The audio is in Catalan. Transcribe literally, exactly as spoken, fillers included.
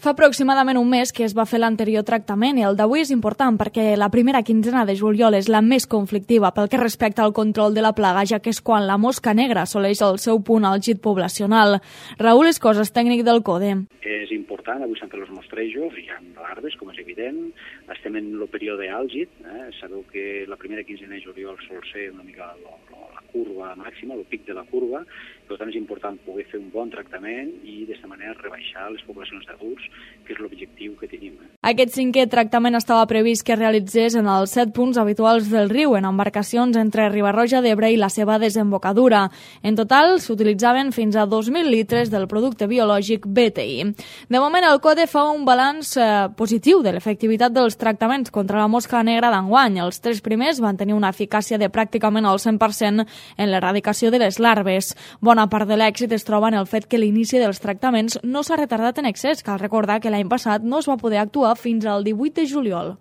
Fa aproximadament un mes que es va fer l'anterior tractament i el d'avui és important perquè la primera quinzena de juliol és la més conflictiva pel que respecta al control de la plaga, ja que és quan la mosca negra assoleix el seu punt àlgid poblacional. Raül Escoses, tècnic del CODE. És important, avui s'han fet els mostrejos, hi ha larves, com és evident, estem en el període àlgid, eh? Sabeu que la primera quinzena de juliol sol ser una mica lo, lo, la curva màxima, el pic de la curva, per tant és important poder fer un bon tractament i d'aquesta manera rebaixar les poblacions d'adults, que és l'objectiu que tenim. Eh? Aquest cinquè tractament estava previst que es realitzés en els set punts habituals del riu, en embarcacions entre Riba-roja d'Ebre i la seva desembocadura. En total, s'utilitzaven fins a dos mil litres del producte biològic B T I. De moment, el CODE fa un balanç eh, positiu de l'efectivitat dels tractaments contra la mosca negra d'enguany. Els tres primers van tenir una eficàcia de pràcticament el cent per cent en l'erradicació de les larves. Bona part de l'èxit es troba en el fet que l'inici dels tractaments no s'ha retardat en excés. Cal recordar que l'any passat no es va poder actuar fins al divuit de juliol.